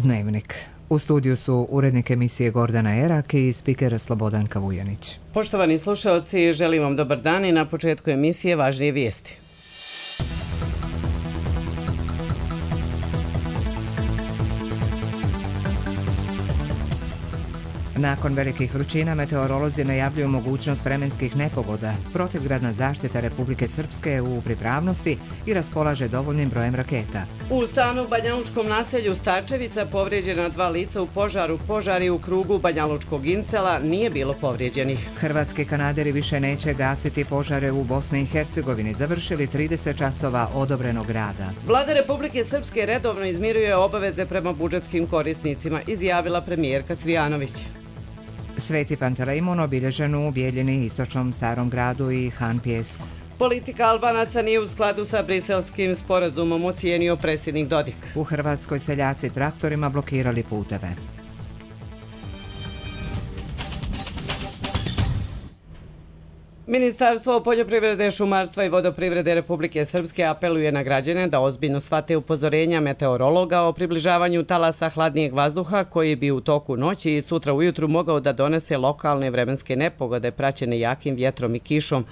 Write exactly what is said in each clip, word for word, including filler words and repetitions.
Dnevnik. U studiju su urednik emisije Gordana Erak i spiker Slobodanka Vujanić. Poštovani slušalci, želim vam dobar dan i na početku emisije važnije vijesti. Nakon velikih vrućina meteorolozi najavljuju mogućnost vremenskih nepogoda. Protivgradna zaštita Republike Srpske je u pripravnosti i raspolaže dovoljnim brojem raketa. U stanu u banjalučkom naselju Starčevica povrijeđena dva lica u požaru. Požari u krugu banjalučkog Incela, nije bilo povrijeđenih. Hrvatski kanaderi više neće gasiti požare u Bosni i Hercegovini. Završili trideset časova odobrenog rada. Vlada Republike Srpske redovno izmiruje obaveze prema budžetskim korisnicima, izjavila premijerka Cvijanović. Sveti Pantelejmon obilježen u Bijeljini, Istočnom Starom gradu i Han Pjesku. Politika Albanaca nije u skladu sa briselskim sporazumom, ocijenio predsjednik Dodik. U Hrvatskoj seljaci traktorima blokirali puteve. Ministarstvo poljoprivrede, šumarstva i vodoprivrede Republike Srpske apeluje na građane da ozbiljno shvate upozorenja meteorologa o približavanju talasa hladnijeg vazduha koji bi u toku noći i sutra ujutru mogao da donese lokalne vremenske nepogode praćene jakim vjetrom i kišom.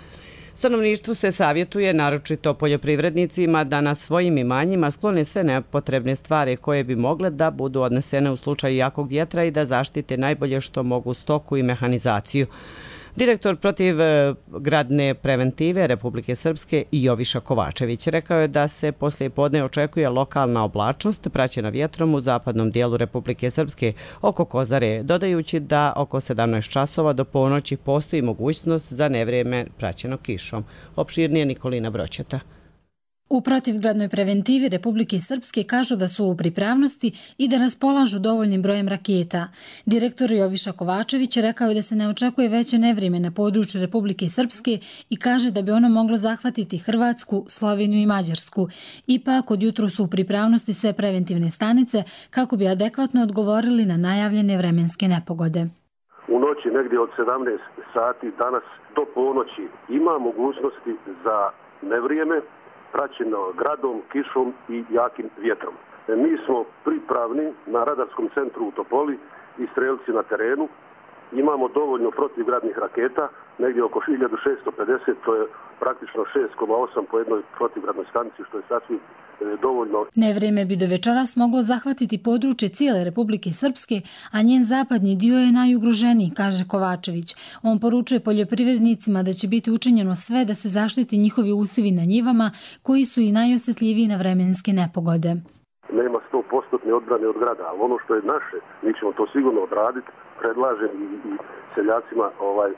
Stanovništvu se savjetuje, naročito poljoprivrednicima, da na svojim imanjima sklone sve nepotrebne stvari koje bi mogle da budu odnesene u slučaju jakog vjetra i da zaštite najbolje što mogu stoku i mehanizaciju. Direktor protivgradne preventive Republike Srpske Joviša Kovačević rekao je da se poslije podne očekuje lokalna oblačnost praćena vjetrom u zapadnom dijelu Republike Srpske oko Kozare, dodajući da oko sedamnaest časova do ponoći postoji mogućnost za nevrijeme praćeno kišom. Opširnije Nikolina Broćeta. U protivgradnoj preventivi Republike Srpske kažu da su u pripravnosti i da raspolažu dovoljnim brojem raketa. Direktor Joviša Kovačević rekao je da se ne očekuje veće nevrijeme na području Republike Srpske i kaže da bi ono moglo zahvatiti Hrvatsku, Sloveniju i Mađarsku. Ipak od jutru su u pripravnosti sve preventivne stanice kako bi adekvatno odgovorili na najavljene vremenske nepogode. U noći negdje od sedamnaest sati danas do ponoći ima mogućnosti za nevrijeme praćeno gradom, kišom i jakim vjetrom. Mi smo pripravni na radarskom centru u Topoli i strelci na terenu. Imamo dovoljno protivgradnih raketa, negdje oko hiljadu šessto pedeset, to je praktično šest zarez osam po jednoj protivgradnoj stanici, što je sasvim dovoljno. Nevrijeme bi do večeras moglo zahvatiti područje cijele Republike Srpske, a njen zapadni dio je najugroženiji, kaže Kovačević. On poručuje poljoprivrednicima da će biti učinjeno sve da se zaštiti njihovi usivi na njivama, koji su i najosjetljiviji na vremenske nepogode. Nema sto posto odbrane od grada, ali ono što je naše, mi ćemo to sigurno odraditi. Predlažem i, i seljacima, ovaj,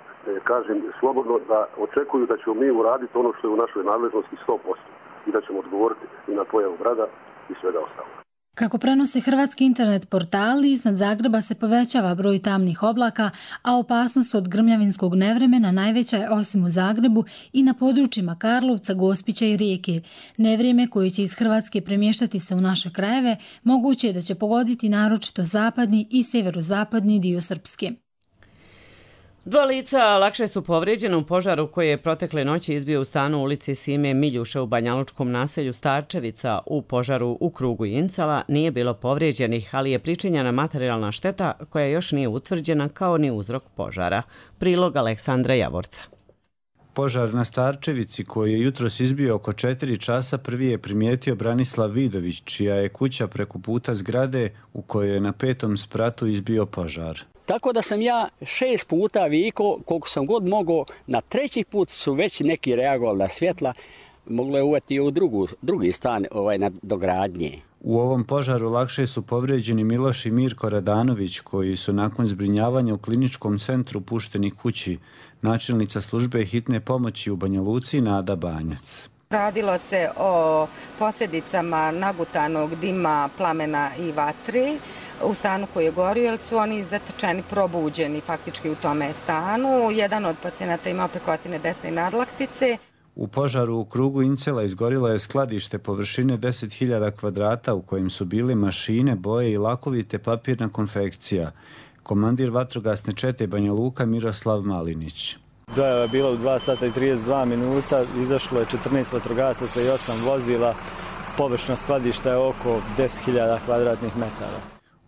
kažem slobodno da očekuju da ćemo mi uraditi ono što je u našoj nadležnosti sto posto i da ćemo odgovoriti i na pojavu grada i svega ostalo. Kako prenose hrvatski internet portali, iznad Zagreba se povećava broj tamnih oblaka, a opasnost od grmljavinskog nevremena najveća je osim u Zagrebu i na područjima Karlovca, Gospića i Rijeke. Nevrijeme koje će iz Hrvatske premještati se u naše krajeve moguće je da će pogoditi naročito zapadni i sjeverozapadni dio Srpske. Dva lica lakše su povrijeđena u požaru koji je protekle noći izbio u stanu u ulici Sime Miljuša u banjalučkom naselju Starčevica. U požaru u krugu Incela nije bilo povrijeđenih, ali je pričinjena materijalna šteta koja još nije utvrđena kao ni uzrok požara. Prilog Aleksandra Javorca. Požar na Starčevici koji je jutros izbio oko četiri časa prvi je primijetio Branislav Vidović, čija je kuća preko puta zgrade u kojoj je na petom spratu izbio požar. Tako da sam ja šest puta vikao, koliko sam god mogao, na treći put su već neki reagovali na svjetla, moglo je uveti u drugu, drugi stan ovaj, na dogradnje. U ovom požaru lakše su povrijeđeni Miloš i Mirko Radanović, koji su nakon zbrinjavanja u kliničkom centru pušteni kući. Načelnica službe hitne pomoći u Banja Luci Nada Banjac. Radilo se o posljedicama nagutanog dima, plamena i vatri u stanu koji je gorio, jer su oni zatečeni, probuđeni faktički u tome stanu. Jedan od pacijenata ima pekotine desne nadlaktice. U požaru u krugu Incela izgorilo je skladište površine deset hiljada kvadrata u kojem su bile mašine, boje i lakovi te papirna konfekcija. Komandir vatrogasne čete Banja Luka Miroslav Malinić. Dojava je bila u dva sata i trideset dva minuta, izašlo je četrnaest vatrogasaca i osam vozila, površina skladišta je oko deset hiljada kvadratnih metara.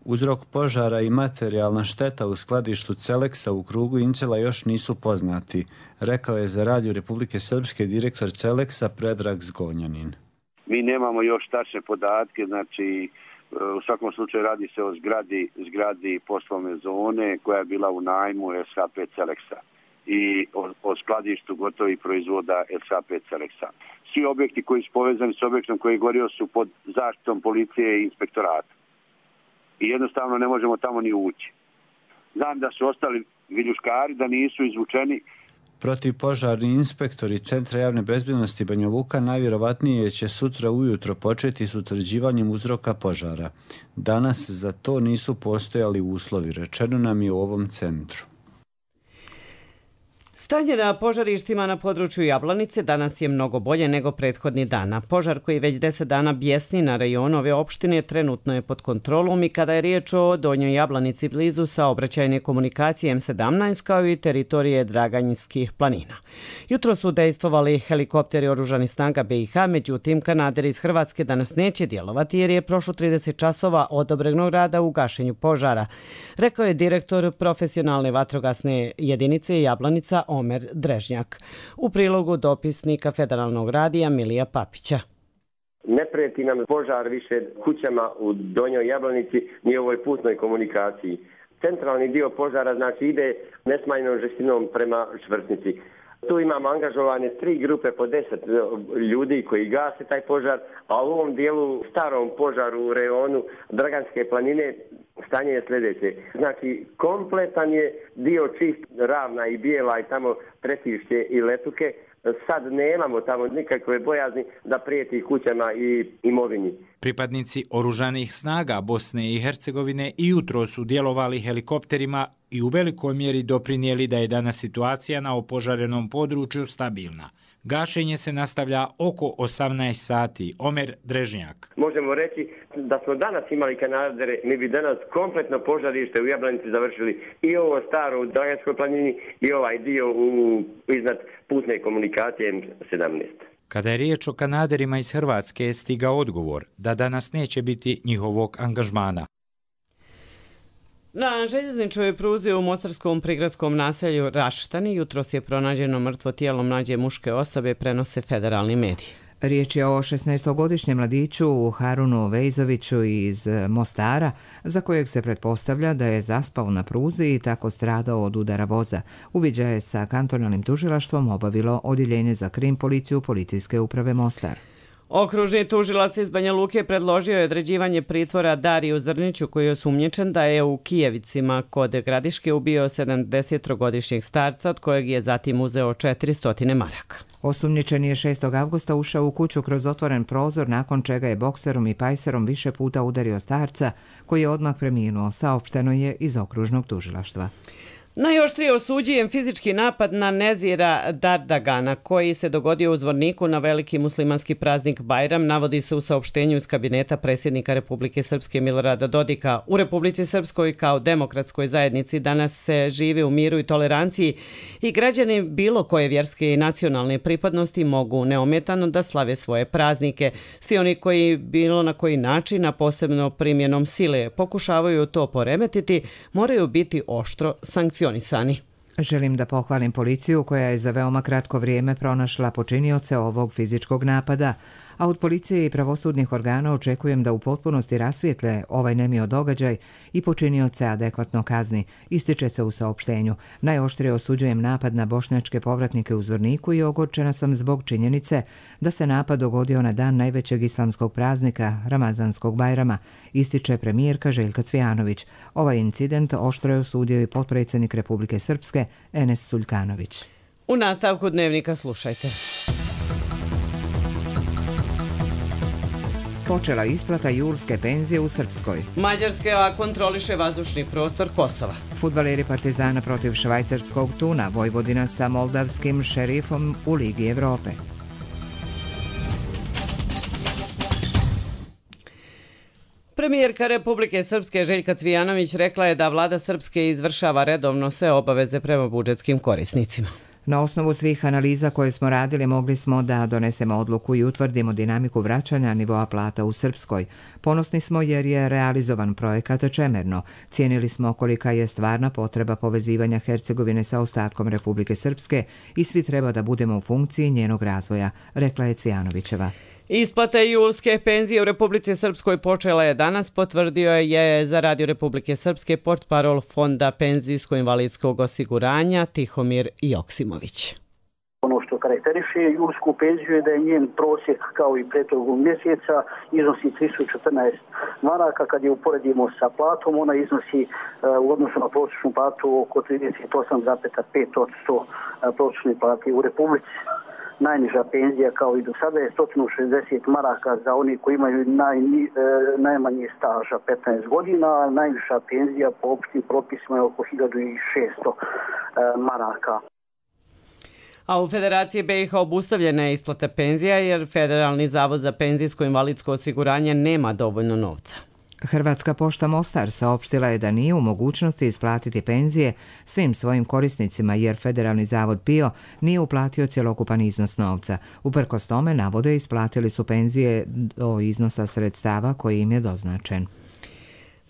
Uzrok požara i materijalna šteta u skladištu Celeksa u krugu Incela još nisu poznati, rekao je za Radio Republike Srpske direktor Celeksa Predrag Zgonjanin. Mi nemamo još tačne podatke, znači u svakom slučaju radi se o zgradi, zgradi poslovne zone koja je bila u najmu S H P Celeksa i o, o skladištu gotovih proizvoda S H P Celeksa. Svi objekti koji su povezani s objektom koji je gorio su pod zaštitom policije i inspektorata. I jednostavno ne možemo tamo ni ući. Znam da su ostali viljuškari, da nisu izvučeni. Protivpožarni inspektori Centra javne bezbjednosti Banja Luka najvjerovatnije će sutra ujutro početi s utvrđivanjem uzroka požara. Danas za to nisu postojali uslovi, rečeno nam je u ovom centru. Stanje na požarištima na području Jablanice danas je mnogo bolje nego prethodni dana. Požar koji već deset dana bjesni na rajonu ove opštine trenutno je pod kontrolom i kada je riječ o Donjoj Jablanici blizu saobraćajne komunikacije M sedamnaest kao i teritorije Draganjskih planina. Jutro su dejstvovali helikopteri oružanih snaga B i H, međutim kanaderi iz Hrvatske danas neće djelovati jer je prošlo trideset časova odobrenog rada u gašenju požara, rekao je direktor profesionalne vatrogasne jedinice Jablanica Omer Drežnjak. U prilogu dopisnika Federalnog radija Milija Papića. Ne prijeti nam požar više kućama u Donjoj Jablanici ni ovoj putnoj komunikaciji. Centralni dio požara znači ide nesmanjenom žestinom prema Švrtnici. Tu imamo angažovane tri grupe po deset ljudi koji gase taj požar, a u ovom dijelu starom požaru u rejonu Draganske planine stanje je sljedeće. Znači, kompletan je dio čist Ravna i Bijela i tamo Tretišće i Letuke. Sad nemamo tamo nikakve bojazni da prijeti kućama i imovini. Pripadnici oružanih snaga Bosne i Hercegovine i jutro su djelovali helikopterima i u velikoj mjeri doprinijeli da je danas situacija na opožarenom području stabilna. Gašenje se nastavlja oko osamnaest sati. Omer Drežnjak. Možemo reći da smo danas imali kanadere, mi bi danas kompletno požarište u Jablanici završili i ovo staro u Draganskoj planini i ovaj dio u, iznad putne komunikacije M sedamnaest. Kada je riječ o kanaderima iz Hrvatske je stigao odgovor da danas neće biti njihovog angažmana. Na željezničkoj pruzi u mostarskom prigradskom naselju Raštani jutros je pronađeno mrtvo tijelo mlađe muške osobe, prenose federalni mediji. Riječ je o šesnaestogodišnjem mladiću Harunu Vejzoviću iz Mostara, za kojeg se pretpostavlja da je zaspao na pruzi i tako stradao od udara voza. Uviđaj je sa kantonalnim tužilaštvom obavilo odjeljenje za krim policiju Policijske uprave Mostar. Okružni tužilac iz Banja Luke predložio je određivanje pritvora Dariju Zrniću koji je osumnjičen da je u Kijevicima kod Gradiške ubio sedamdesettrogodišnjeg starca od kojeg je zatim uzeo četiristo maraka. Osumnjičen je šestog avgusta ušao u kuću kroz otvoren prozor nakon čega je bokserom i pajserom više puta udario starca koji je odmah preminuo, saopšteno je iz okružnog tužilaštva. Najoštrije osuđujem fizički napad na Nezira Dardagana koji se dogodio u Zvorniku na veliki muslimanski praznik Bajram, navodi se u saopštenju iz kabineta predsjednika Republike Srpske Milorada Dodika. U Republici Srpskoj kao demokratskoj zajednici danas se živi u miru i toleranciji i građani bilo koje vjerske i nacionalne pripadnosti mogu neometano da slave svoje praznike. Svi oni koji bilo na koji način, a posebno primjenom sile, pokušavaju to poremetiti, moraju biti oštro sankcionirani. Želim da pohvalim policiju koja je za veoma kratko vrijeme pronašla počinioce ovog fizičkog napada, a od policije i pravosudnih organa očekujem da u potpunosti rasvijetle ovaj nemio događaj i počinioce adekvatno kazni, ističe se u saopštenju. Najoštrije osuđujem napad na bošnjačke povratnike u Zvorniku i ogorčena sam zbog činjenice da se napad dogodio na dan najvećeg islamskog praznika, Ramazanskog Bajrama, ističe premijerka Željka Cvijanović. Ovaj incident oštro je osudio i potpredsjednik Republike Srpske Enes Suljkanović. U nastavku dnevnika slušajte. Počela isplata julske penzije u Srpskoj. Mađarska kontroliše vazdušni prostor Kosova. Fudbaleri Partizana protiv švajcarskog Tuna, Vojvodina sa moldavskim Šerifom u Ligi Evrope. Premijerka Republike Srpske Željka Cvijanović rekla je da vlada Srpske izvršava redovno sve obaveze prema budžetskim korisnicima. Na osnovu svih analiza koje smo radili mogli smo da donesemo odluku i utvrdimo dinamiku vraćanja nivoa plata u Srpskoj. Ponosni smo jer je realizovan projekat čemerno. Cijenili smo kolika je stvarna potreba povezivanja Hercegovine sa ostatkom Republike Srpske i svi treba da budemo u funkciji njenog razvoja, rekla je Cvijanovićeva. Isplata julske penzije u Republici Srpskoj počela je danas, potvrdio je za Radio Republike Srpske portparol Fonda penzijsko-invalidskog osiguranja Tihomir Joksimović. Ono što karakteriše julsku penziju je da je njen prosjek kao i prethodnog mjeseca iznosi tristo četrnaest maraka. Kad je uporedimo sa platom, ona iznosi u odnosu na prosječnu platu oko trideset osam zarez pet posto prosječne plate u Republici. Najniža penzija kao i do sada je sto šezdeset maraka za oni koji imaju naj, najmanje staža petnaest godina, a najviša penzija po opštim propisima je oko hiljadu šesto maraka. A u Federaciji B i H obustavljena je isplata penzija jer Federalni zavod za penzijsko-invalidsko osiguranje nema dovoljno novca. Hrvatska pošta Mostar saopštila je da nije u mogućnosti isplatiti penzije svim svojim korisnicima jer Federalni zavod P I O nije uplatio cjelokupan iznos novca. Uprkos tome, navode, isplatili su penzije do iznosa sredstava koji im je doznačen.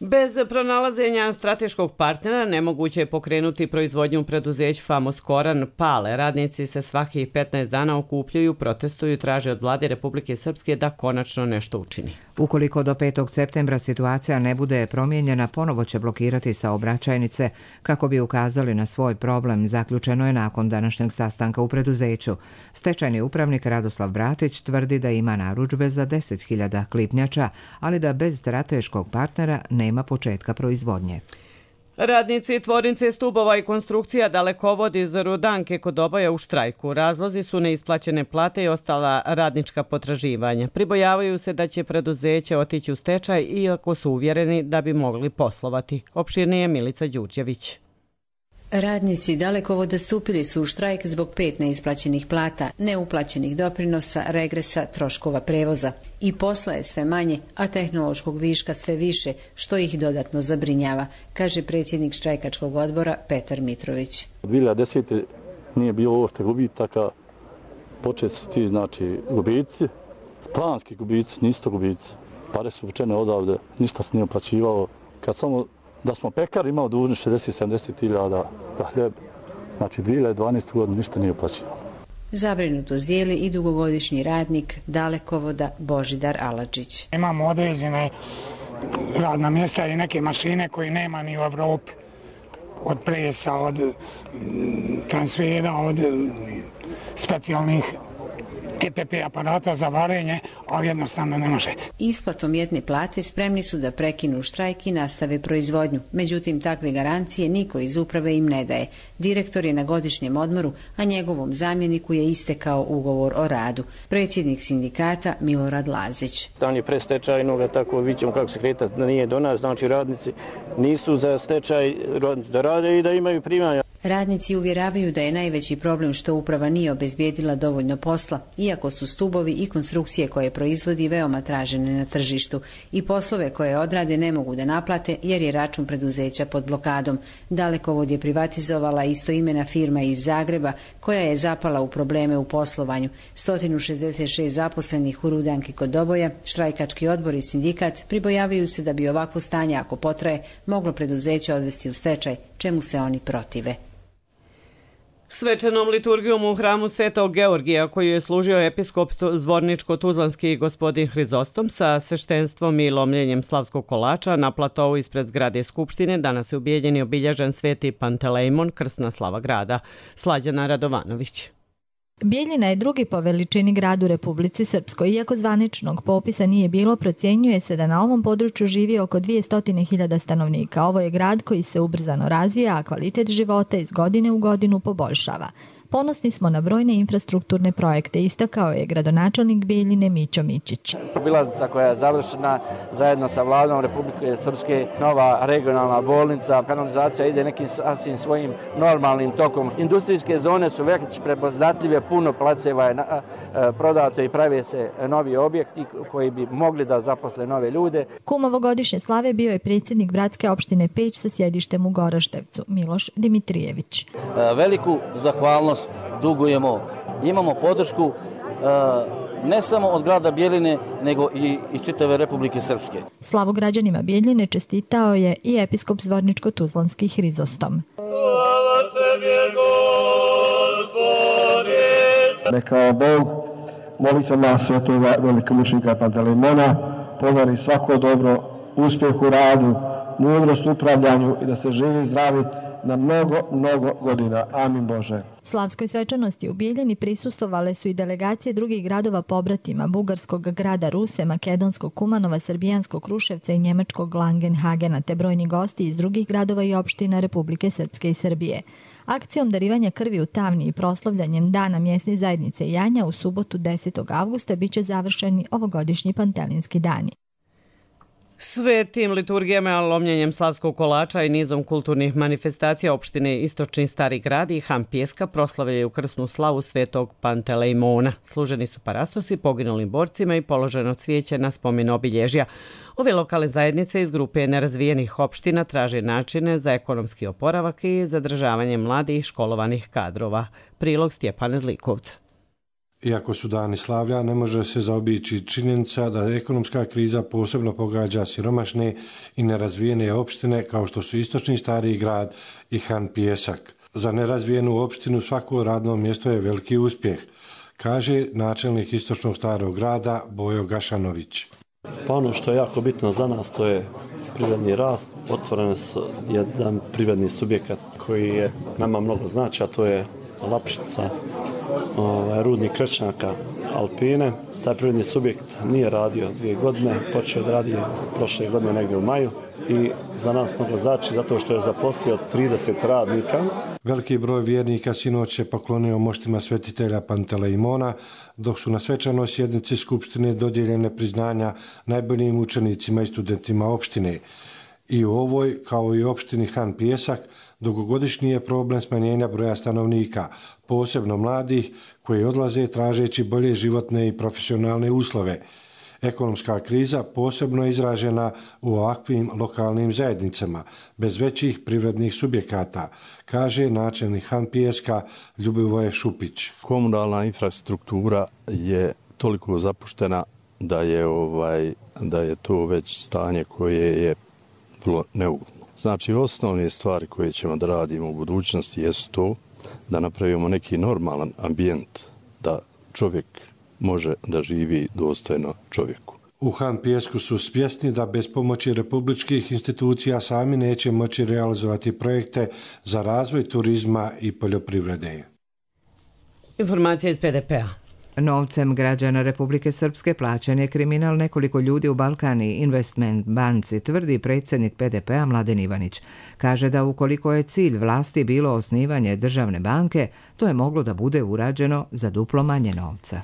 Bez pronalaženja strateškog partnera nemoguće je pokrenuti proizvodnju preduzeću Famos Koran Pale. Radnici se svakih petnaest dana okupljuju, protestuju i traže od vlade Republike Srpske da konačno nešto učini. Ukoliko do petog septembra situacija ne bude promijenjena, ponovo će blokirati saobraćajnice kako bi ukazali na svoj problem, zaključeno je nakon današnjeg sastanka u preduzeću. Stečajni upravnik Radoslav Bratić tvrdi da ima narudžbe za deset hiljada klipnjača, ali da bez strateškog partnera nema početka proizvodnje. Radnici tvornice stubova i konstrukcija Dalekovod iz Rudanke kod Oboja u štrajku. Razlozi su neisplaćene plate i ostala radnička potraživanja. Pribojavaju se da će preduzeće otići u stečaj iako su uvjereni da bi mogli poslovati. Opširnije Milica Đurđević. Radnici Dalekovoda stupili su u štrajk zbog pet neisplaćenih plata, neuplaćenih doprinosa, regresa, troškova prevoza. I posla je sve manje, a tehnološkog viška sve više, što ih dodatno zabrinjava, kaže predsjednik štrajkačkog odbora Petar Mitrović. dvije hiljade desete. nije bilo uopšte gubitaka, počet su ti znači gubici, planski gubici, nisu to gubici. Pare su vučene odavde, ništa se nije uplaćivalo. Kad samo da smo pekar imao dužni šezdeset sedamdeset hiljada za hljeb, znači dvije hiljade dvanaeste. godine ništa nije uplaćivalo. Zabrinuto zijeli i dugogodišnji radnik Dalekovoda Božidar Aladžić. Imamo određene radna mjesta i neke mašine koje nema ni u Evropi. Od presa, od transfera, od specijalnih E P P aparata za varenje, ali jednostavno ne može. Isplatom jedne plate spremni su da prekinu štrajk i nastave proizvodnju. Međutim, takve garancije niko iz uprave im ne daje. Direktor je na godišnjem odmoru, a njegovom zamjeniku je istekao ugovor o radu. Predsjednik sindikata Milorad Lazić. Dan je pre stečajnoga, tako vidimo kako se kreta, da nije do nas, znači radnici nisu za stečaj da rade i da imaju primanja. Radnici uvjeravaju da je najveći problem što uprava nije obezbijedila dovoljno posla, iako su stubovi i konstrukcije koje proizvodi veoma tražene na tržištu i poslove koje odrade ne mogu da naplate jer je račun preduzeća pod blokadom. Dalekovod je privatizovala istoimena firma iz Zagreba koja je zapala u probleme u poslovanju. sto šezdeset šest zaposlenih u Rudanki kod Oboja, štrajkački odbor i sindikat pribojavaju se da bi ovakvo stanje, ako potraje, moglo preduzeće odvesti u stečaj, čemu se oni protive. Svečanom liturgijom u hramu Svetog Georgija, koju je služio episkop Zvorničko-Tuzlanski gospodin Hrizostom sa sveštenstvom i lomljenjem slavskog kolača na platovu ispred zgrade Skupštine, danas je u Bijeljini obilježen Sveti Pantelejmon, krsna slava grada. Slađana Radovanović. Bijeljina je drugi po veličini grad u Republici Srpskoj. Iako zvaničnog popisa nije bilo, procjenjuje se da na ovom području živi oko dvjesto hiljada stanovnika. Ovo je grad koji se ubrzano razvija, a kvalitet života iz godine u godinu poboljšava. Ponosni smo na brojne infrastrukturne projekte, istakao je gradonačelnik Bijeljine Mićo Mićić. Obilaznica koja je završena zajedno sa vladom Republike Srpske, nova regionalna bolnica, kanalizacija ide nekim sasvim svojim normalnim tokom. Industrijske zone su već prepoznatljive, puno placeva je prodato i prave se novi objekti koji bi mogli da zaposle nove ljude. Kum ovogodišnje slave bio je predsjednik bratske opštine Peć sa sjedištem u Goroštevcu, Miloš Dimitrijević. Veliku zahvalnost danas dugujemo. Imamo podršku ne samo od grada Bjeline, nego i iz čitave Republike Srpske. Slavu građanima Bjeljine čestitao je i episkop Zvorničko-Tuzlanski Hrizostom. Slava tebi, Gospodi! Neka Bog molitvama svetog velikomučnika Pantelejmona podari svako dobro, uspjeh u radu, mudrost u upravljanju i da ste živi i zdravi na mnogo, mnogo godina. Amin Bože. Slavskoj svečanosti u Bijeljini prisustvovale su i delegacije drugih gradova pobratima, bugarskog grada Ruse, makedonskog Kumanova, srbijanskog Kruševca i njemačkog Langenhagena, te brojni gosti iz drugih gradova i opština Republike Srpske i Srbije. Akcijom darivanja krvi u Tavni i proslavljanjem Dana mjesne zajednice Janja u subotu desetog avgusta biće završeni ovogodišnji Pantelinski dani. Svetim liturgijama, lomljenjem slavskog kolača i nizom kulturnih manifestacija opštine Istočni Stari grad i Han Pjeska proslavljaju krsnu slavu svetog Pantelejmona. Služeni su parastosi poginulim borcima i položeno cvijeće na spomen obilježja. Ove lokalne zajednice iz grupe nerazvijenih opština traže načine za ekonomski oporavak i zadržavanje mladih školovanih kadrova. Prilog Stjepana Zlikovca. Iako su dani slavlja, ne može se zaobići činjenica da ekonomska kriza posebno pogađa siromašne i nerazvijene opštine kao što su Istočni Stari grad i Han Pjesak. Za nerazvijenu opštinu svako radno mjesto je veliki uspjeh, kaže načelnik Istočnog Starog grada Bojo Gašanović. Pa ono što je jako bitno za nas to je privredni rast. Otvoren su jedan privredni subjekat koji je nama mnogo znači, a to je Lapšica, ovaj, rudnik Krečnjaka Alpine. Taj privredni subjekt nije radio dvije godine, počeo da radi prošle godine negdje u maju i za nas mnogo znači zato što je zaposlio trideset radnika. Veliki broj vjernika sinoć se poklonio moštima svetitelja Pantelejmona, dok su na svečanoj sjednici Skupštine dodijeljene priznanja najboljim učenicima i studentima opštine. I u ovoj, kao i opštini Han Pjesak, dugogodišnji je problem smanjenja broja stanovnika, posebno mladih koji odlaze tražeći bolje životne i profesionalne uslove. Ekonomska kriza posebno je izražena u ovakvim lokalnim zajednicama, bez većih privrednih subjekata, kaže načelnik Han Pjeska Ljubivoje Šupić. Komunalna infrastruktura je toliko zapuštena da je, ovaj, da je to već stanje koje je vrlo neugodno. Znači, osnovne stvari koje ćemo da radimo u budućnosti jesu to da napravimo neki normalan ambijent da čovjek može da živi dostojno čovjeku. U Han Pjesku su svjesni da bez pomoći republičkih institucija sami neće moći realizovati projekte za razvoj turizma i poljoprivrede. Informacija iz P D P-a. Novcem građana Republike Srpske plaćen je kriminal nekoliko ljudi u Balkani Investment banci, tvrdi predsjednik P D P-a Mladen Ivanić. Kaže da ukoliko je cilj vlasti bilo osnivanje državne banke, to je moglo da bude urađeno za duplo manje novca.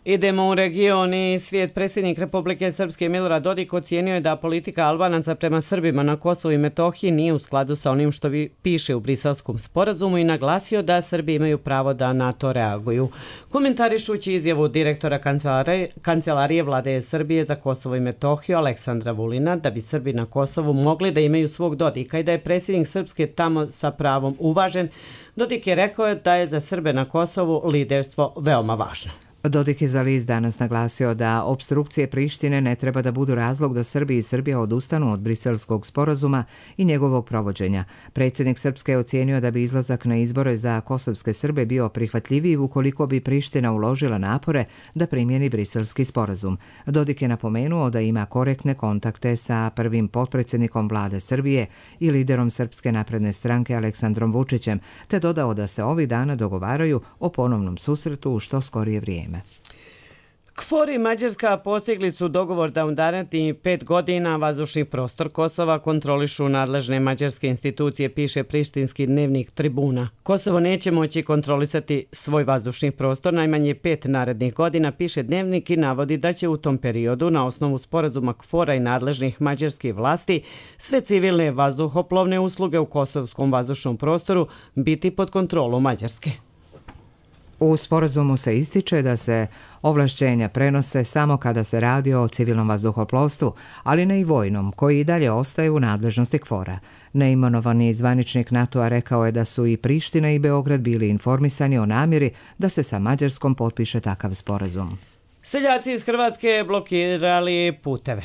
Idemo u region i svijet. Predsjednik Republike Srpske Milorad Dodik ocijenio je da politika Albanaca prema Srbima na Kosovu i Metohiji nije u skladu sa onim što piše u Briselskom sporazumu i naglasio da Srbi imaju pravo da na to reaguju. Komentarišući izjavu direktora kancelarije, kancelarije vlade Srbije za Kosovo i Metohiju Aleksandra Vulina da bi Srbi na Kosovu mogli da imaju svog Dodika i da je predsjednik Srpske tamo sa pravom uvažen, Dodik je rekao da je za Srbe na Kosovu liderstvo veoma važno. Dodik je za list danas naglasio da opstrukcije Prištine ne treba da budu razlog da Srbi i Srbija odustanu od Briselskog sporazuma i njegovog provođenja. Predsjednik Srpske je ocijenio da bi izlazak na izbore za kosovske Srbe bio prihvatljiviji ukoliko bi Priština uložila napore da primjeni Briselski sporazum. Dodik je napomenuo da ima korektne kontakte sa prvim potpredsjednikom vlade Srbije i liderom Srpske napredne stranke Aleksandrom Vučićem, te dodao da se ovih dana dogovaraju o ponovnom susretu u što skorije vrijeme. KFOR i Mađarska postigli su dogovor da u narednih pet godina vazdušni prostor Kosova kontrolišu nadležne mađarske institucije, piše prištinski dnevnik Tribuna. Kosovo neće moći kontrolisati svoj vazdušni prostor najmanje pet narednih godina, piše dnevnik i navodi da će u tom periodu na osnovu sporazuma KFOR-a i nadležnih mađarskih vlasti sve civilne vazduhoplovne usluge u kosovskom vazdušnom prostoru biti pod kontrolom Mađarske. U sporazumu se ističe da se ovlašćenja prenose samo kada se radi o civilnom vazduhoplovstvu, ali ne i vojnom, koji i dalje ostaje u nadležnosti KFOR-a. Neimenovani zvaničnik NATO-a rekao je da su i Priština i Beograd bili informisani o namjeri da se sa Mađarskom potpiše takav sporazum. Seljaci iz Hrvatske blokirali puteve.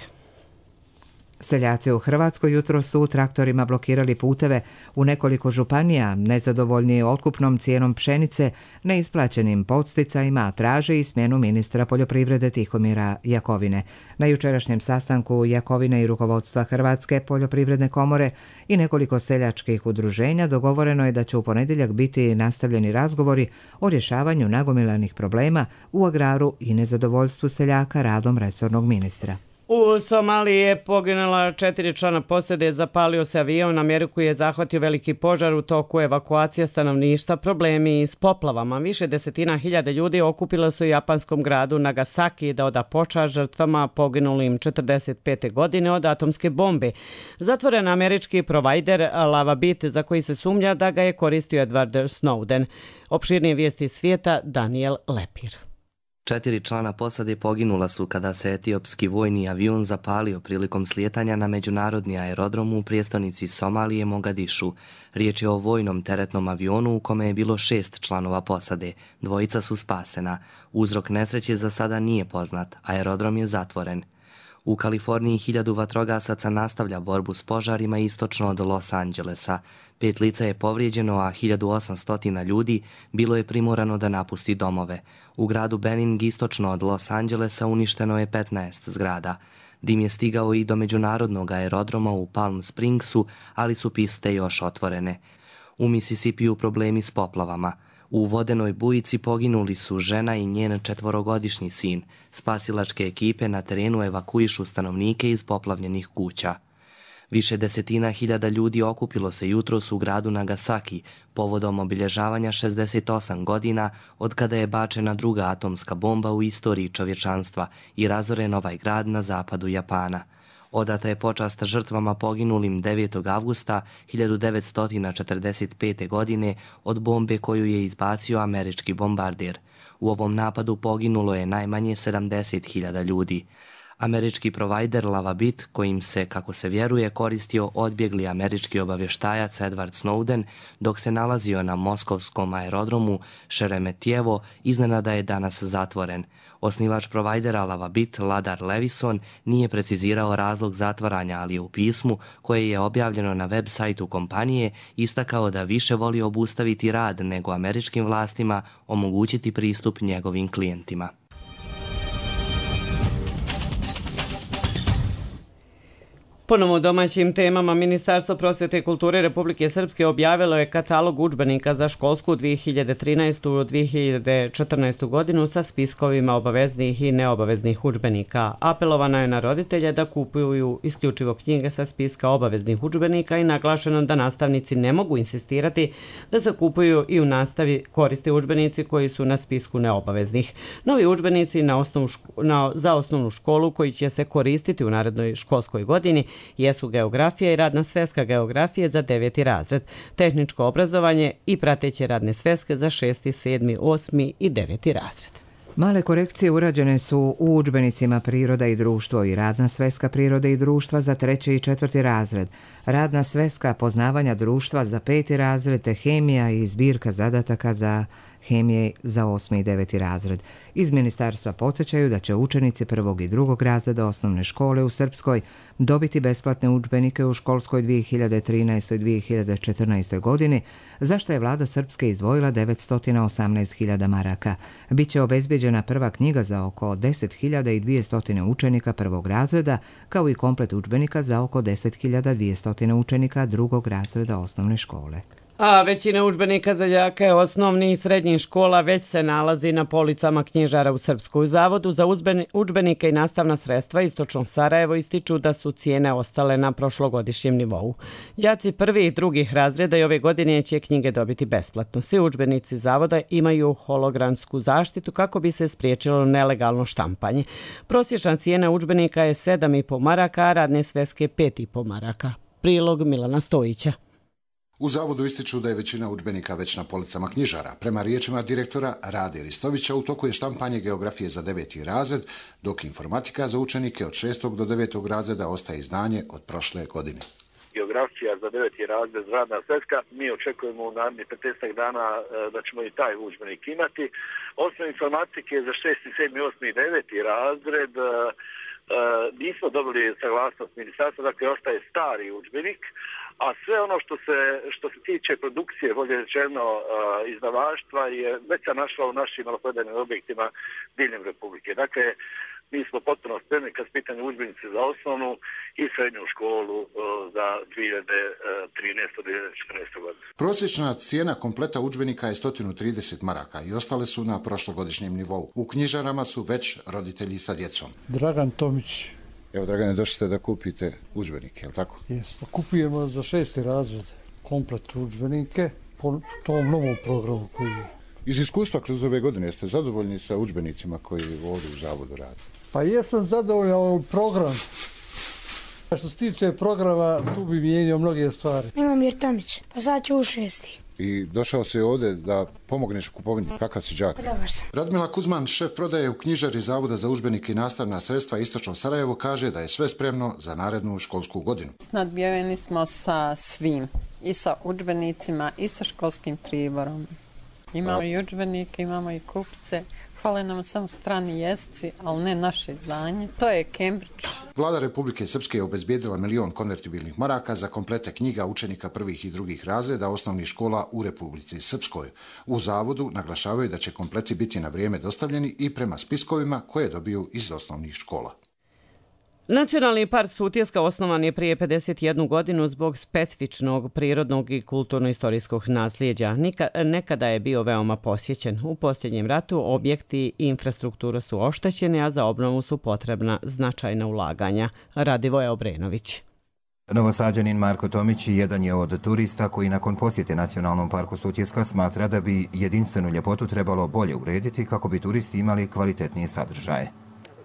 Seljaci u Hrvatskoj jutro su traktorima blokirali puteve u nekoliko županija, nezadovoljni otkupnom cijenom pšenice, neisplaćenim podsticajima, traže i smjenu ministra poljoprivrede Tihomira Jakovine. Na jučerašnjem sastanku Jakovine i rukovodstva Hrvatske poljoprivredne komore i nekoliko seljačkih udruženja dogovoreno je da će u ponedjeljak biti nastavljeni razgovori o rješavanju nagomilanih problema u agraru i nezadovoljstvu seljaka radom resornog ministra. U Somaliji je poginula četiri člana posade, zapalio se avion, Ameriku je zahvatio veliki požar, u toku evakuacija stanovništva, problemi s poplavama. Više desetina hiljada ljudi okupilo se u japanskom gradu Nagasaki da oda počast žrtvama poginulim četrdeset pete godine od atomske bombe. Zatvoren američki provajder Lavabit, za koji se sumnja da ga je koristio Edward Snowden. Opširnije vijesti svijeta, Daniel Lepir. Četiri člana posade poginula su kada se etiopski vojni avion zapalio prilikom slijetanja na međunarodni aerodrom u prijestolnici Somalije Mogadišu. Riječ je o vojnom teretnom avionu u kome je bilo šest članova posade. Dvojica su spasena. Uzrok nesreće za sada nije poznat. Aerodrom je zatvoren. U Kaliforniji hiljadu vatrogasaca nastavlja borbu s požarima istočno od Los Angelesa. Pet lica je povrijeđeno, a hiljadu osamsto ljudi bilo je primorano da napusti domove. U gradu Benning istočno od Los Angelesa uništeno je petnaest zgrada. Dim je stigao i do međunarodnog aerodroma u Palm Springsu, ali su piste još otvorene. U Mississippiju problemi s poplavama. U vodenoj bujici poginuli su žena i njen četvorogodišnji sin. Spasilačke ekipe na terenu evakuišu stanovnike iz poplavljenih kuća. Više desetina hiljada ljudi okupilo se jutros u gradu Nagasaki povodom obilježavanja šezdeset osam godina od kada je bačena druga atomska bomba u istoriji čovječanstva i razoren ovaj grad na zapadu Japana. Odata je počast žrtvama poginulim devetog avgusta hiljadu devetsto četrdeset pete. godine od bombe koju je izbacio američki bombarder. U ovom napadu poginulo je najmanje sedamdeset hiljada ljudi. Američki provajder Lavabit, kojim se, kako se vjeruje, koristio odbjegli američki obavještajac Edward Snowden, dok se nalazio na moskovskom aerodromu Šeremetjevo, iznenada je danas zatvoren. Osnivač provajdera Lavabit, Ladar Levison, nije precizirao razlog zatvaranja, ali je u pismu, koje je objavljeno na web sajtu kompanije, istakao da više voli obustaviti rad nego američkim vlastima omogućiti pristup njegovim klijentima. Ponovo u domaćim temama, Ministarstvo prosvjete i kulture Republike Srpske objavilo je katalog udžbenika za školsku dvije hiljade trinaestu do dvije hiljade četrnaestu. godinu sa spiskovima obaveznih i neobaveznih udžbenika. Apelovano je na roditelje da kupuju isključivo knjige sa spiska obaveznih udžbenika i naglašeno da nastavnici ne mogu insistirati da se kupuju i u nastavi koriste udžbenici koji su na spisku neobaveznih. Novi udžbenici na osnovu ško- na, za osnovnu školu koji će se koristiti u narednoj školskoj godini jesu geografija i radna sveska geografije za deveti razred, tehničko obrazovanje i prateće radne sveske za šesti, sedmi, osmi i deveti razred. Male korekcije urađene su u udžbenicima Priroda i društvo i radna sveska Prirode i društva za treći i četvrti razred, radna sveska Poznavanja društva za peti razred te hemija i zbirka zadataka za hemije za osmi i deveti razred. Iz ministarstva podsjećaju da će učenici prvog i drugog razreda osnovne škole u Srpskoj dobiti besplatne udžbenike u školskoj dvije hiljade trinaestoj dvije hiljade četrnaestoj. godini, za što je vlada Srpske izdvojila devetsto osamnaest hiljada maraka. Biće obezbeđena prva knjiga za oko deset hiljada dvjesto učenika prvog razreda, kao i komplet udžbenika za oko deset hiljada dvjesto učenika drugog razreda osnovne škole. A većina udžbenika za đake osnovnih i srednjih škola već se nalazi na policama knjižara u Srpskoj. U Zavodu za udžbenike i nastavna sredstva Istočno Sarajevo ističu da su cijene ostale na prošlogodišnjem nivou. Đaci prvih i drugih razreda i ove godine će knjige dobiti besplatno. Svi udžbenici Zavoda imaju hologramsku zaštitu kako bi se spriječilo nelegalno štampanje. Prosječna cijena udžbenika je sedam i po maraka, a radne sveske pet i po maraka. Prilog Milana Stojića. U zavodu ističu da je većina udžbenika već na policama knjižara. Prema riječima direktora Rade Ristovića, u toku je štampanje geografije za deveti razred, dok informatika za učenike od šestog do devetog razreda ostaje izdanje od prošle godine. Geografija za deveti razred, radna sveska. Mi očekujemo u narednih petnaest dana da ćemo i taj udžbenik imati. Osnov informatike za šesti, sedmi, osmi i deveti razred nismo dobili saglasnost ministarstva, dakle ostaje stari udžbenik, a sve ono što se, što se tiče produkcije, bolje rečeno izdavaštva, je već se našla u našim maloprodajnim objektima diljem Republike. Dakle, mi smo potpuno spremni kad su pitanje udžbenici za osnovnu i srednju školu za dvije hiljade trinaestu do dvije hiljade četrnaeste. godine. Prosječna cijena kompleta udžbenika je sto trideset maraka i ostale su na prošlogodišnjem nivou. U knjižarama su već roditelji sa djecom. Dragan Tomić. Evo, Dragane, došli ste da kupite udžbenike, je li tako? Jeste, kupujemo za šesti razred komplet udžbenike po tom novom programu koji je. Iz iskustva kroz ove godine jeste zadovoljni sa udžbenicima koji ovdje u zavodu rade? Pa jesam zadovoljan ovaj program. Što se tiče programa, tu bi mijenio mnoge stvari. Milomir Tomić, pa sad ću u šesti. I došao se ovdje da pomogneš u kupovini. Kakav si đak? Pa dobar sam. Radmila Kuzman, šef prodaje u knjižari Zavoda za udžbenike i nastavna sredstva Istočno Sarajevo, kaže da je sve spremno za narednu školsku godinu. Nadbijeni smo sa svim. I sa udžbenicima, i sa školskim priborom. Imamo i udžbenike, imamo i kupce. Hvale nam samo strani jezici, ali ne naše izdanje. To je Cambridge. Vlada Republike Srpske je obezbijedila milion konvertibilnih maraka za komplete knjiga učenika prvih i drugih razreda osnovnih škola u Republici Srpskoj. U zavodu naglašavaju da će kompleti biti na vrijeme dostavljeni i prema spiskovima koje dobiju iz osnovnih škola. Nacionalni park Sutjeska osnovan je prije pedeset jednu godinu zbog specifičnog prirodnog i kulturno-istorijskog nasljeđa. Nekada je bio veoma posjećen. U posljednjem ratu objekti i infrastruktura su oštećeni, a za obnovu su potrebna značajna ulaganja. Radivoje Obrenović. Novosađanin Marko Tomić jedan je od turista koji nakon posjete Nacionalnom parku Sutjeska smatra da bi jedinstvenu ljepotu trebalo bolje urediti kako bi turisti imali kvalitetnije sadržaje.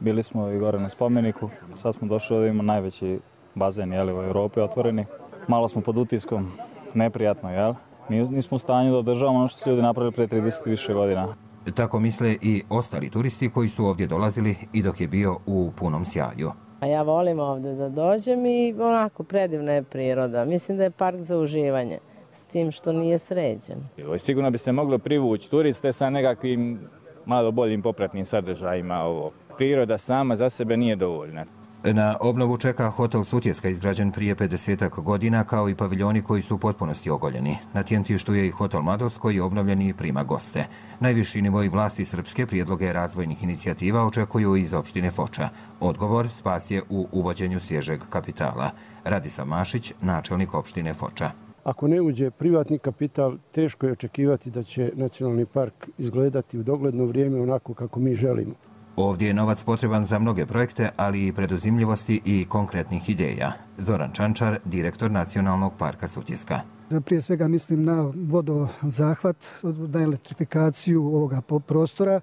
Bili smo i gore na spomeniku, sad smo došli da imamo najveći bazen jeli, u Europi otvoreni. Malo smo pod utiskom, neprijatno, jel? Nismo u stanju da održavamo ono što su ljudi napravili prije trideset više godina. Tako misle i ostali turisti koji su ovdje dolazili i dok je bio u punom sjaju. A ja volim ovdje da dođem i onako predivna je priroda. Mislim da je park za uživanje, s tim što nije sređen. Sigurno bi se moglo privući turiste sa nekakvim malo boljim popratnim sadržajima ovo. Priroda sama za sebe nije dovoljna. Na obnovu čeka hotel Sutjeska izgrađen prije pedesetak godina kao i paviljoni koji su u potpunosti ogoljeni. Na Tjentištu je i hotel Mladost koji je obnovljen i prima goste. Najviši nivoi vlasti Srpske prijedloge razvojnih inicijativa očekuju iz opštine Foča. Odgovor spas je u uvođenju svježeg kapitala. Radislav Mašić, načelnik opštine Foča. Ako ne uđe privatni kapital, teško je očekivati da će nacionalni park izgledati u dogledno vrijeme onako kako mi želimo. Ovdje je novac potreban za mnoge projekte, ali i preduzimljivosti i konkretnih ideja. Zoran Čančar, direktor Nacionalnog parka Sutjeska. Prije svega mislim na vodozahvat, na elektrifikaciju ovoga prostora,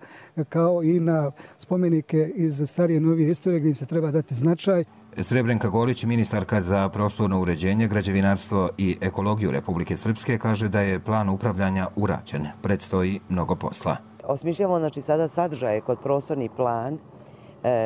kao i na spomenike iz starije novije istorije gdje se treba dati značaj. Srebrenka Golić, ministarka za prostorno uređenje, građevinarstvo i ekologiju Republike Srpske, kaže da je plan upravljanja urađen. Predstoji mnogo posla. Osmišljamo znači, sada sadržaje kod prostorni plan,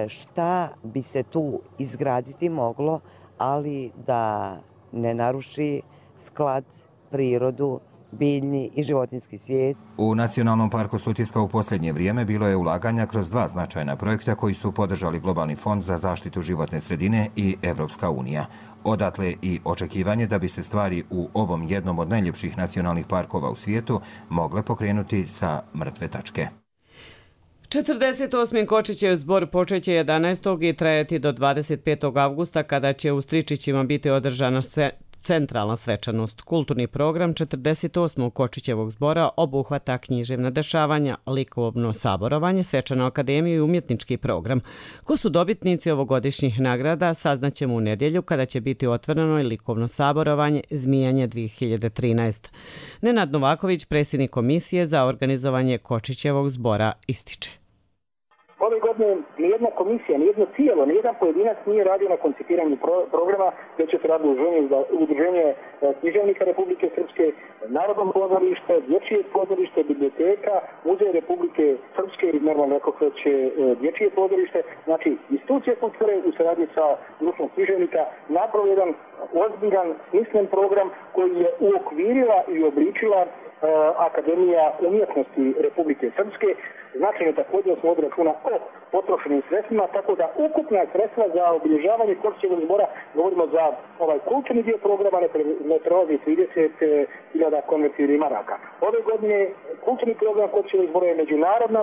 šta bi se tu izgraditi moglo, ali da ne naruši sklad, prirodu, biljni i životinjski svijet. U Nacionalnom parku Sutjeska u posljednje vrijeme bilo je ulaganja kroz dva značajna projekta koji su podržali Globalni fond za zaštitu životne sredine i Evropska unija. Odatle i očekivanje da bi se stvari u ovom jednom od najljepših nacionalnih parkova u svijetu mogle pokrenuti sa mrtve tačke. četrdeset osmi Kočićev zbor počeće jedanaestog i trajati do dvadeset petog avgusta kada će u Stričićima biti održana se centralna svečanost. Kulturni program četrdeset osmog Kočićevog zbora obuhvata književna dešavanja, likovno saborovanje, svečanu akademiju i umjetnički program. Ko su dobitnici ovogodišnjih nagrada saznaćemo u nedjelju kada će biti otvoreno i likovno saborovanje Zmijanje dvije hiljade trinaest. Nenad Novaković, predsjednik komisije za organizovanje Kočićevog zbora, ističe. Ove godine nijedna jedna komisija, nijedno tijelo, nijedan pojedinac nije radio na koncipiranju pro, programa, već je se radilo udruženje književnika Republike Srpske, Narodno pozorište, dječje pozorište, biblioteka, Muzej Republike Srpske i normalno rekao već dječje pozorište. Znači, institucije kulture u saradnji sa društvom književnika napravio jedan ozbiljan, smislen program koji je uokvirila i obličila Akademija umjetnosti Republike Srpske. Značajno također smo od računa o potrošenim sredstvima, tako da ukupna sredstva za obilježavanje Kočićevog zbora, govorimo za ovaj kulturni dio programa, ne prelazi trideset hiljada konvertibilnih maraka. Ove godine kulturni program Kočićevog zbora je međunarodna,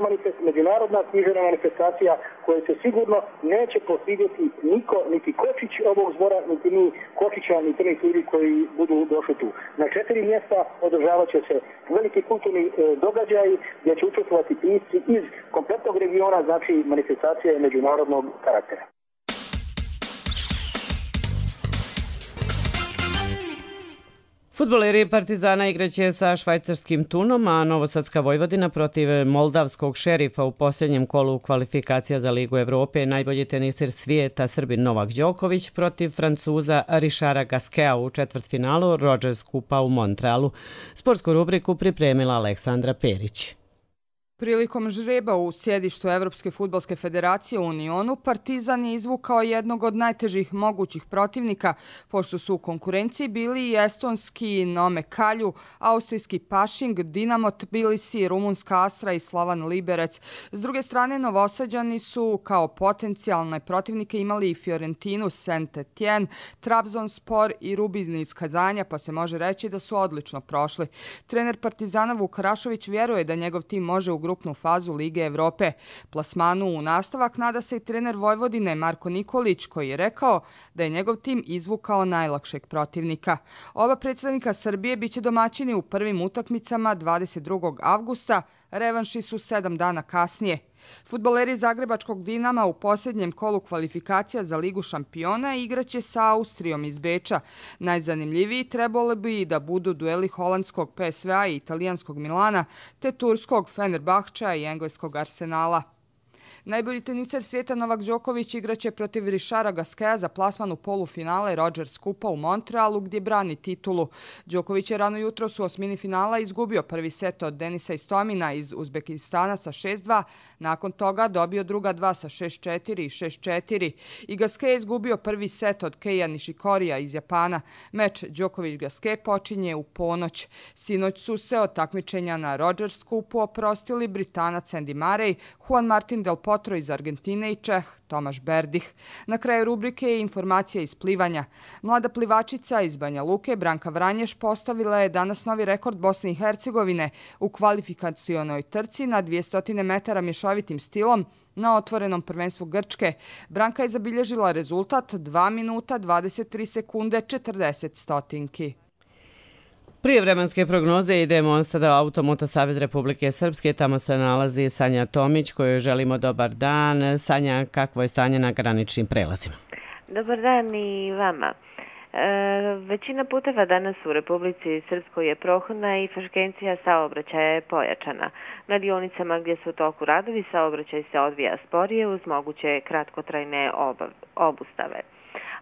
međunarodna književna manifestacija koja se sigurno neće posvidjeti niko, niti Kočić ovog zbora, niti ni Kočića, niti ni ljudi koji budu došli tu. Na četiri mjesta održavat će se veliki kulturni e, događaj gdje će učestvovati pisci iz kompletnog regiona, znači manifestacija je međunarodnog karaktera. Fudbaleri Partizana igraće sa švajcarskim Tunom, a Novosadska Vojvodina protiv moldavskog Šerifa u posljednjem kolu kvalifikacija za Ligu Evrope. Najbolji teniser svijeta Srbin Novak Đoković protiv Francuza Richarda Gasqueta u četvrtfinalu Rogers Kupa u Montrealu. Sportsku rubriku pripremila Aleksandra Perić. Prilikom žreba u sjedištu Evropske fudbalske federacije u Unionu, Partizan je izvukao jednog od najtežih mogućih protivnika, pošto su u konkurenciji bili i estonski Nome Kalju, austrijski Pašing, Dinamo Tbilisi, rumunska Astra i Slovan Liberec. S druge strane, Novosađani su kao potencijalne protivnike imali i Fiorentinu, Saint-Étienne, Trabzonspor i Rubin iz Kazanja, pa se može reći da su odlično prošli. Trener Partizana Vuk Rašović vjeruje da njegov tim može u grupnu fazu Lige Evrope. Plasmanu u nastavak nada se i trener Vojvodine Marko Nikolić, koji je rekao da je njegov tim izvukao najlakšeg protivnika. Oba predstavnika Srbije biće domaćini u prvim utakmicama dvadeset drugog avgusta, revanši su sedam dana kasnije. Fudbaleri Zagrebačkog Dinama u posljednjem kolu kvalifikacija za Ligu šampiona igraće sa Austrijom iz Beča. Najzanimljiviji trebalo bi da budu dueli holandskog P S V-a i italijanskog Milana, te turskog Fenerbahčea i engleskog Arsenala. Najbolji teniser svijeta Novak Đoković igraće protiv Richarda Gasqueta za plasman u polufinale Rogers Kupa u Montrealu gdje brani titulu. Đoković je rano jutros u osmini finala izgubio prvi set od Denisa Istomina iz Uzbekistana sa šest dva, nakon toga dobio druga dva sa šest četiri i šest četiri. I Gasquet je izgubio prvi set od Keija Nishikorija iz Japana. Meč Đoković-Gasquet počinje u ponoć. Sinoć su se od takmičenja na Rogers Kupu oprostili Britanac Andy Murray, Juan Martin Del Potro iz Argentine i Čeh Tomaš Berdih. Na kraju rubrike je informacija iz plivanja. Mlada plivačica iz Banja Luke Branka Vranješ postavila je danas novi rekord Bosne i Hercegovine u kvalifikacionoj trci na dvjesto metara mješovitim stilom na otvorenom prvenstvu Grčke. Branka je zabilježila rezultat dva minuta dvadeset tri sekunde četrdeset stotinki. Prije vremenske prognoze idemo sada u Automoto Savez Republike Srpske. Tamo se nalazi Sanja Tomić, kojoj želimo dobar dan. Sanja, kakvo je stanje na graničnim prelazima? Dobar dan i vama. E, većina puteva danas u Republici Srpskoj je prohodna i frekvencija saobraćaja je pojačana. Na dionicama gdje su u toku radovi saobraćaj se odvija sporije uz moguće kratkotrajne obustave.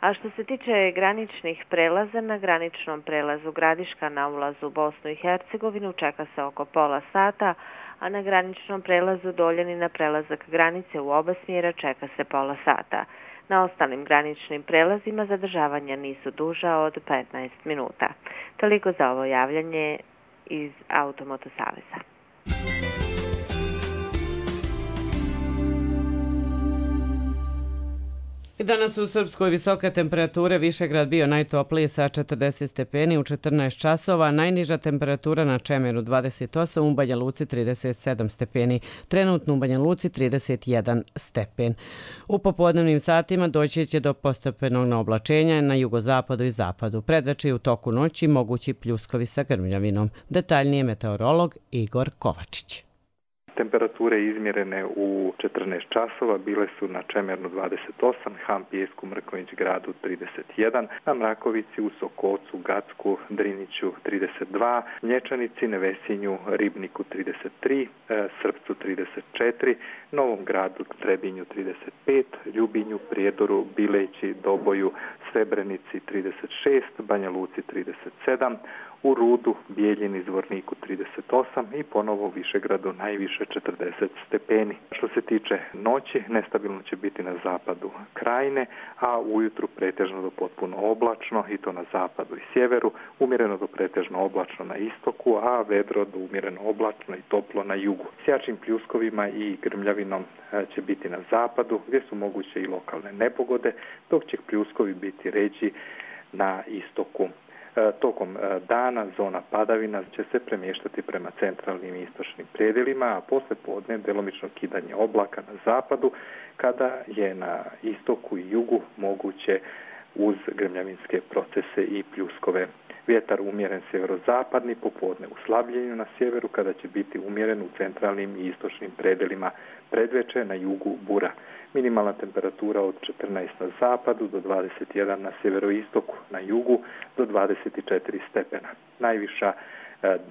A što se tiče graničnih prelaza, na graničnom prelazu Gradiška na ulazu u Bosnu i Hercegovinu čeka se oko pola sata, a na graničnom prelazu Doljani na prelazak granice u oba smjera čeka se pola sata. Na ostalim graničnim prelazima zadržavanja nisu duža od petnaest minuta. Toliko za ovo javljanje iz Automoto Saveza. Danas u Srpskoj visoke temperature, Višegrad bio najtopliji sa četrdeset stepeni u četrnaest časova, najniža temperatura na Čemeru dvadeset osam, u Banja Luci trideset sedam stepeni, trenutno u Banja Luci trideset jedan stepen. U popodnevnim satima doći će do postepenog naoblačenja na jugozapadu i zapadu. Predveče i u toku noći mogući pljuskovi sa grmljavinom. Detaljnije meteorolog Igor Kovačić. Temperature izmjerene u četrnaest časova bile su na Čemernu dvadeset osam, Han Pijesku, Mrkonjić gradu trideset jedan, na Mrakovici, u Sokocu, Gacku, Driniću trideset dva, Mlječanici, Nevesinju, Ribniku trideset tri, Srpcu trideset četiri, Novom gradu, Trebinju trideset pet, Ljubinju, Prijedoru, Bileći, Doboju, Srebrenici trideset šest, Banja Luci trideset sedam, u Rudu, Bijeljini, Zvorniku trideset osam i ponovo u Višegradu najviše četrdeset stepeni. Što se tiče noći, nestabilno će biti na zapadu Krajine, a ujutru pretežno do potpuno oblačno i to na zapadu i sjeveru, umjereno do pretežno oblačno na istoku, a vedro do umjereno oblačno i toplo na jugu. S jačim pljuskovima i grmljavinom će biti na zapadu, gdje su moguće i lokalne nepogode, dok će pljuskovi biti ređi na istoku. Tokom dana zona padavina će se premještati prema centralnim i istočnim predjelima, a posle podne djelomično kidanje oblaka na zapadu, kada je na istoku i jugu moguće uz grmljavinske procese i pljuskove. Vjetar umjeren sjeverozapadni, popodne u slabljenju na sjeveru, kada će biti umjeren u centralnim i istočnim predjelima, predveče na jugu bura. Minimalna temperatura od četrnaest na zapadu do dvadeset jedan na sjeveroistoku, na jugu do dvadeset četiri stepena. Najviša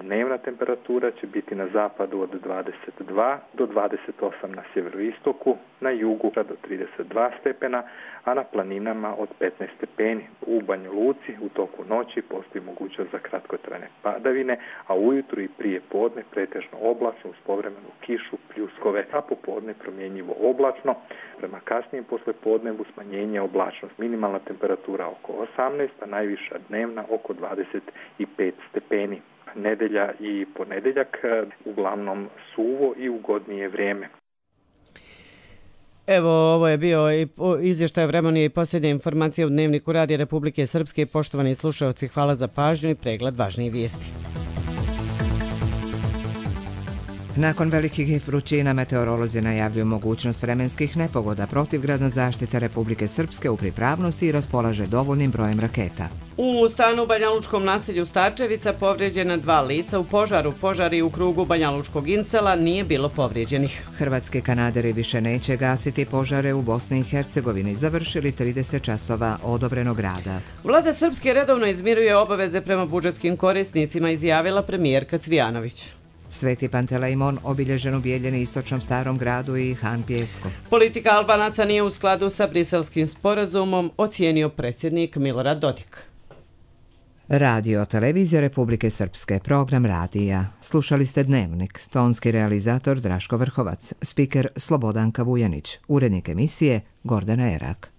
dnevna temperatura će biti na zapadu od dvadeset dva do dvadeset osam na sjeveroistoku, na jugu do trideset dva stepena, a na planinama od petnaest stepeni. U Banja Luci u toku noći postoji mogućnost za kratkotrajne padavine, a ujutru i prije podne pretežno oblačno uz povremenu kišu, pljuskove, a popodne promjenjivo oblačno. Prema kasnijem poslijepodnevu smanjenje oblačnost. Minimalna temperatura oko osamnaest, a najviša dnevna oko dvadeset pet stepeni. Nedelja i ponedjeljak uglavnom suvo i ugodnije vrijeme. Evo, ovo je bio i izvještaj vremena i posljednje informacije u Dnevniku Radija Republike Srpske. Poštovani slušalci, hvala za pažnju i pregled važnijih vijesti. Nakon velikih vrućina meteorolozi najavljuju mogućnost vremenskih nepogoda. Protivgradna zaštita Republike Srpske u pripravnosti i raspolaže dovoljnim brojem raketa. U stanu u banjalučkom naselju Starčevica povrijeđena dva lica u požaru. Požari u krugu banjalučkog Incela, nije bilo povrijeđenih. Hrvatski kanaderi više neće gasiti požare u Bosni i Hercegovini. Završili trideset časova odobrenog rada. Vlada Srpske redovno izmiruje obaveze prema budžetskim korisnicima, izjavila premijerka Cvijanović. Sveti Pantelejmon obilježen u Bijeljini, istočnom Starom gradu i Han Pijesku. Politika Albanaca nije u skladu sa briselskim sporazumom, ocijenio predsjednik Milorad Dodik. Radio Televizija Republike Srpske, program radija. Slušali ste Dnevnik, tonski realizator Draško Vrhovac, spiker Slobodanka Vujanić, urednik emisije Gordana Erak.